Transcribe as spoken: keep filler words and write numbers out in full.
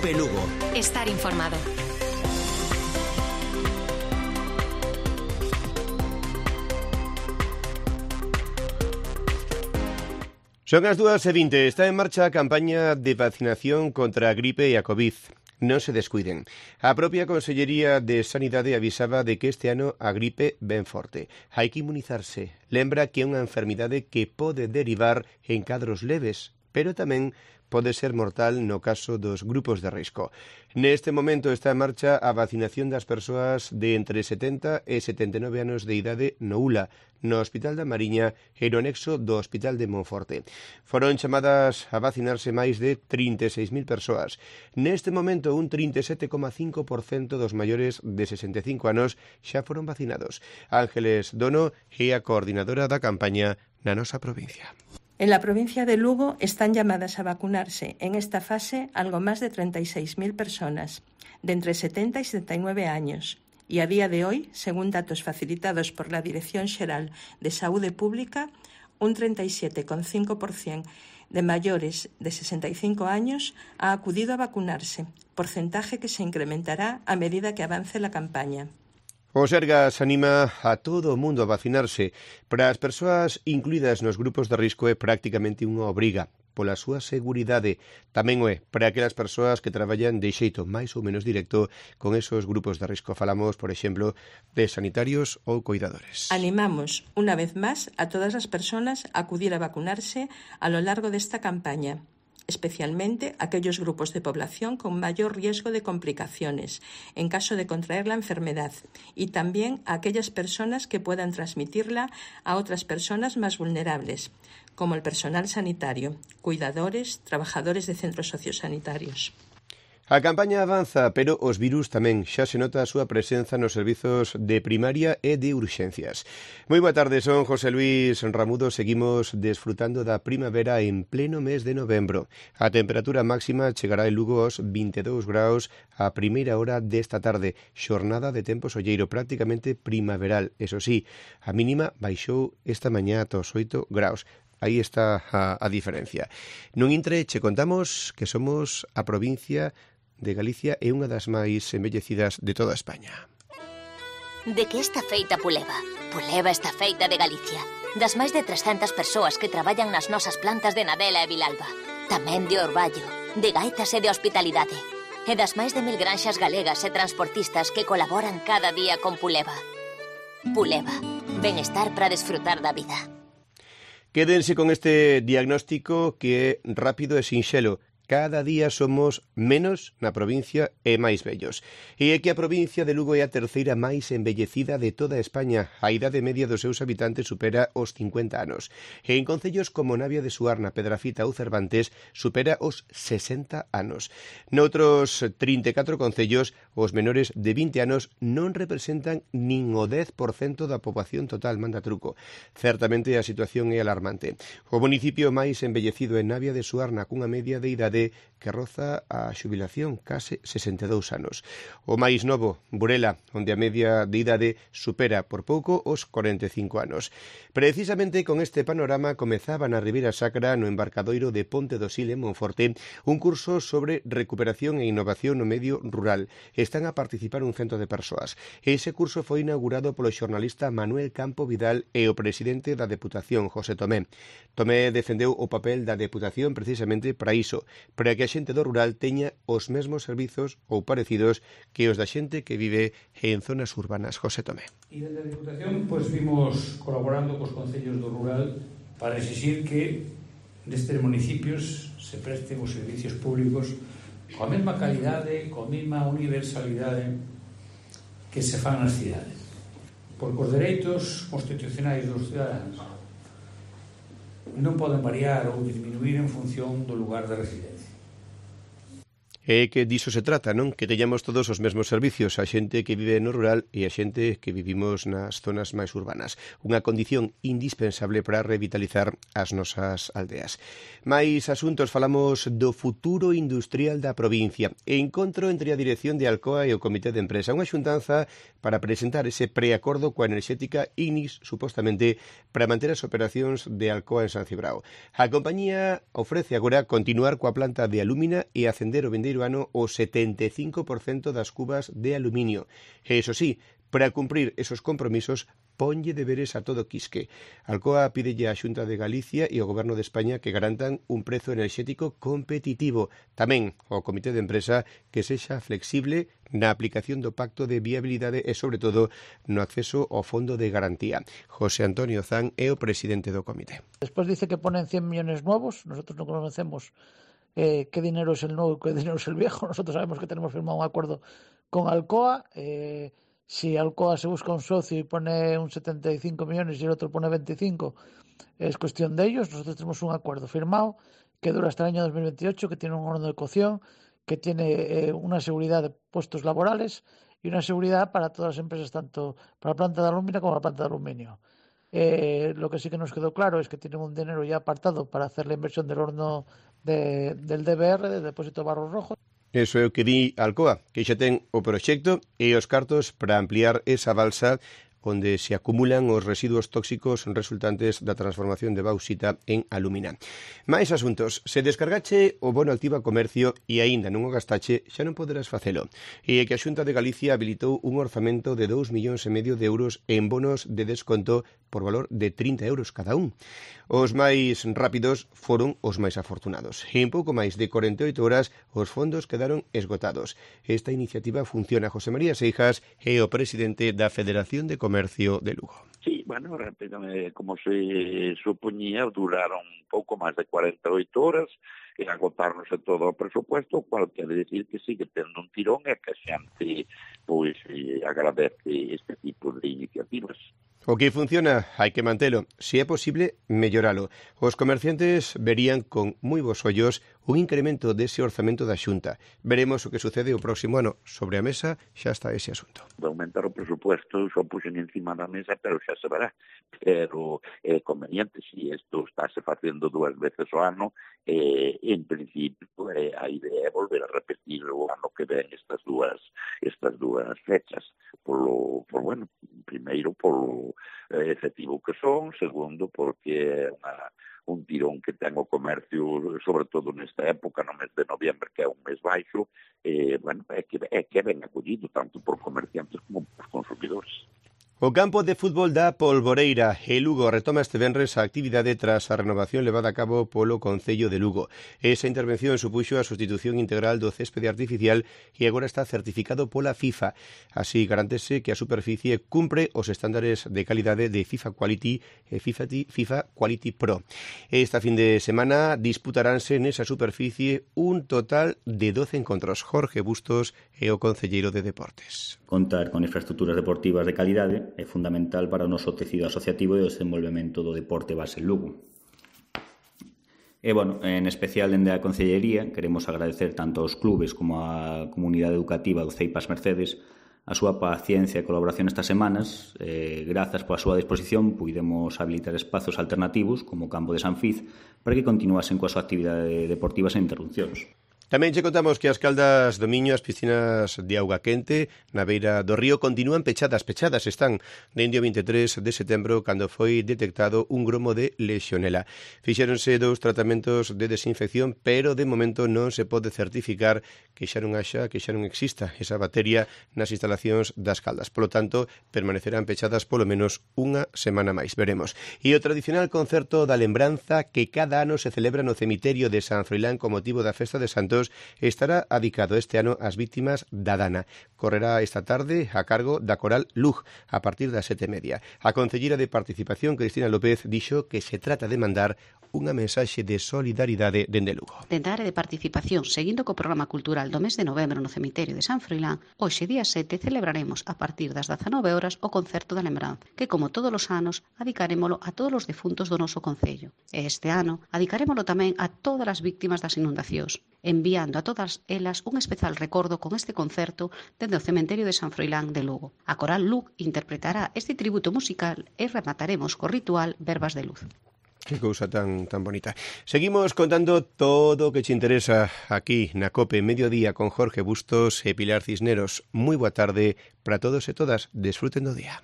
Cope Lugo. Estar informado. Son as dúas e vinte. Está en marcha a campaña de vacinación contra a gripe e a COVID. Non se descuiden. A propia Consellería de Sanidade avisaba de que este ano a gripe ven forte. Hai que inmunizarse. Lembra que é unha enfermidade que pode derivar en cadros leves, pero tamén pode ser mortal no caso dos grupos de risco. Neste momento está en marcha a vacinación das persoas de entre setenta e setenta e nove anos de idade no U L A, no Hospital da Mariña e no anexo do Hospital de Monforte. Foron chamadas a vacinarse máis de trinta e seis mil persoas. Neste momento, un trinta e sete coma cinco por cento dos maiores de sesenta e cinco anos xa foron vacinados. Ángeles Dono é a coordinadora da campaña na nosa provincia. En la provincia de Lugo están llamadas a vacunarse en esta fase algo más de treinta y seis mil personas, de entre setenta y setenta y nueve años. Y a día de hoy, según datos facilitados por la Dirección Xeral de Saúde Pública, un treinta y siete coma cinco por ciento de mayores de sesenta y cinco años ha acudido a vacunarse, porcentaje que se incrementará a medida que avance la campaña. O Sergas anima a todo o mundo a vacinarse. Para as persoas incluídas nos grupos de risco é prácticamente unha obriga. Pola súa seguridade, tamén o é para aquelas persoas que traballan de xeito máis ou menos directo con esos grupos de risco. Falamos, por exemplo, de sanitarios ou cuidadores. Animamos, unha vez máis, a todas as persoas a acudir a vacunarse a lo largo desta campaña, especialmente aquellos grupos de población con mayor riesgo de complicaciones en caso de contraer la enfermedad y también a aquellas personas que puedan transmitirla a otras personas más vulnerables, como el personal sanitario, cuidadores, trabajadores de centros sociosanitarios. A campaña avanza, pero os virus tamén. Xa se nota a súa presenza nos servizos de primaria e de urxencias. Moi boa tarde, son José Luis Ramudo. Seguimos desfrutando da primavera en pleno mes de novembro. A temperatura máxima chegará en Lugo aos vinte e dous graus a primeira hora desta tarde. Xornada de tempo solleiro, prácticamente primaveral. Eso sí, a mínima baixou esta mañá ata os oito graus. Aí está a, a diferencia. Nun intre che contamos que somos a provincia de Galicia é unha das máis embellecidas de toda España. De que está feita Puleva? Puleva está feita de Galicia. Das máis de trescentas persoas que traballan nas nosas plantas de Nadela e Vilalba. Tamén de Orballo, de Gaitas e de Hospitalidade. E das máis de mil granxas galegas e transportistas que colaboran cada día con Puleva. Puleva, benestar para desfrutar da vida. Quédense con este diagnóstico que é rápido e sinxelo. Cada día somos menos na provincia e máis vellos. E é que a provincia de Lugo é a terceira máis embellecida de toda España. A idade media dos seus habitantes supera os cincuenta anos. E en concellos como Navia de Suarna, Pedrafita ou Cervantes supera os sesenta anos. Noutros trinta e catro concellos, os menores de vinte anos non representan nin o dez por cento da poboación total, manda truco. Certamente a situación é alarmante. O municipio máis embellecido é Navia de Suarna, cunha media de idade que roza a xubilación, case sesenta e dous anos. O máis novo, Burela, onde a media de idade supera por pouco os cuarenta e cinco anos. Precisamente con este panorama comezaba na Ribeira Sacra, no embarcadoiro de Ponte do Sil en Monforte, un curso sobre recuperación e innovación no medio rural. Están a participar un cento de persoas. Ese curso foi inaugurado polo xornalista Manuel Campo Vidal e o presidente da Deputación, José Tomé. Tomé defendeu o papel da Deputación precisamente para iso, para que a xente do rural teña os mesmos servizos ou parecidos que os da xente que vive en zonas urbanas. José Tomé. E desde a Deputación pois, vimos colaborando cos concellos do rural para exigir que destes municipios se presten os servicios públicos coa mesma calidade, coa mesma universalidade que se fan nas cidades. Porque os dereitos constitucionais dos cidadanos non poden variar ou disminuir en función do lugar de residencia. É que diso se trata, non? Que teñamos todos os mesmos servicios, a xente que vive no rural e a xente que vivimos nas zonas máis urbanas. Unha condición indispensable para revitalizar as nosas aldeas. Mais asuntos, falamos do futuro industrial da provincia. Encontro entre a dirección de Alcoa e o Comité de Empresa. Unha xuntanza para presentar ese preacordo coa enerxética Inis, supostamente, para manter as operacións de Alcoa en San Cibrao. A compañía ofrece agora continuar coa planta de alúmina e acender o vendeiro vindeiro ano o setenta e cinco por cento das cubas de aluminio. E iso sí, para cumprir esos compromisos, ponlle deberes a todo quisque. Alcoa pídelle á Xunta de Galicia e ao Goberno de España que garantan un prezo enerxético competitivo. Tamén ao Comité de Empresa que sexa flexible na aplicación do Pacto de Viabilidade e, sobre todo, no acceso ao Fondo de Garantía. José Antonio Zan é o presidente do comité. Despois dice que ponen cien millones nuevos. Nosotros non conocemos eh, qué dinero es el nuevo y qué dinero es el viejo. Nosotros sabemos que tenemos firmado un acuerdo con Alcoa. Eh, Si Alcoa se busca un socio y pone un setenta y cinco millones y el otro pone veinticinco, es cuestión de ellos. Nosotros tenemos un acuerdo firmado que dura hasta el año dos mil veintiocho, que tiene un horno de cocción, que tiene eh, una seguridad de puestos laborales y una seguridad para todas las empresas, tanto para la planta de aluminio como para la planta de aluminio. Eh, lo que sí que nos quedó claro es que tienen un dinero ya apartado para hacer la inversión del horno de, del D B R, del depósito de barro rojo. Eso é o que di Alcoa, que xa ten o proxecto e os cartos para ampliar esa balsa onde se acumulan os residuos tóxicos resultantes da transformación de bauxita en alumina. Mais asuntos. Se descargache o bono Activa Comercio e aínda non o gastache, xa non poderás facelo. E é que a Xunta de Galicia habilitou un orzamento de dous millóns e medio de euros en bonos de desconto por valor de trinta euros cada un. Os máis rápidos foron os máis afortunados. En pouco máis de corenta e oito horas os fondos quedaron esgotados. Esta iniciativa funciona. José María Seijas é o presidente da Federación de Comercio de Lugo. Sí, bueno, como se supoñía, duraron pouco máis de cuarenta e oito horas e agotarnos todo o presupuesto, o cual quere decir que sigue tendo un tirón e que a xente pois, agradece este tipo de iniciativas. O que funciona, hai que mantelo. Se é posible, melloralo. Os comerciantes verían con moi bons ollos un incremento dese orzamento da Xunta. Veremos o que sucede o próximo ano. Sobre a mesa xa está ese asunto. De aumentar o presupuesto, xo puxen encima da mesa, pero xa se verá. Pero é conveniente, se isto estáse facendo dúas veces ao ano, eh, en principio eh, a idea é volver a repetir o ano que ven estas dúas estas dúas fechas. Polo, por, bueno, primeiro polo eh, efectivo que son, segundo porque é unha un tirón que ten o comercio, sobre todo nesta época, no mes de noviembre, que é un mes baixo, eh, bueno, é que, é que ben acollido tanto por comerciantes como por consumidores. O campo de fútbol da Polvoreira e Lugo retoma este venres a actividade tras a renovación levada a cabo polo Concello de Lugo. Esa intervención supuxo a sustitución integral do céspede artificial e agora está certificado pola FIFA. Así garantese que a superficie cumpre os estándares de calidade de FIFA Quality e FIFA, FIFA Quality Pro. Esta fin de semana disputaránse nesa superficie un total de doce encontros. Jorge Bustos é o concelleiro de Deportes. Contar con infraestructuras deportivas de calidade é fundamental para o noso tecido asociativo e o desenvolvemento do deporte base en Lugo. E, bueno, en especial dende a Concellería queremos agradecer tanto aos clubes como á comunidade educativa do Ceipas Mercedes a súa paciencia e colaboración estas semanas. Eh, grazas pola súa disposición puidemos habilitar espazos alternativos como o campo de San Fiz para que continuasen coa súa actividade deportiva sen interrupcións. Tamén che contamos que as caldas do Miño, as piscinas de auga quente na beira do río continúan pechadas, pechadas están dende o vinte e tres de setembro cando foi detectado un gromo de Legionela. Fixéronse dous tratamentos de desinfección, pero de momento non se pode certificar que xa non haxa, que xa non exista esa bacteria nas instalacións das caldas. Polo tanto, permanecerán pechadas polo menos unha semana máis, veremos. E o tradicional concerto da lembranza que cada ano se celebra no cemiterio de San Froilán con motivo da festa de Santos estará adicado este ano ás vítimas da Dana. Correrá esta tarde a cargo da Coral Lug a partir das sete e media. A concelleira de Participación, Cristina López, dixo que se trata de mandar unha mensaxe de solidaridade dende Lugo. Dende a área de participación, seguindo co programa cultural do mes de novembro no cemiterio de San Froilán, hoxe día sete celebraremos a partir das dezanove horas o concerto da lembranza, que como todos os anos adicarémolo a todos os defuntos do noso concello. E este ano adicarémolo tamén a todas as víctimas das inundacións, enviando a todas elas un especial recordo con este concerto dende o cemiterio de San Froilán de Lugo. A Coral Lug interpretará este tributo musical e remataremos co ritual Verbas de Luz. Que cousa tan tan bonita. Seguimos contando todo o que te interesa aquí na COPE Mediodía con Jorge Bustos e Pilar Cisneros. Moi boa tarde para todos e todas. Desfruten do día.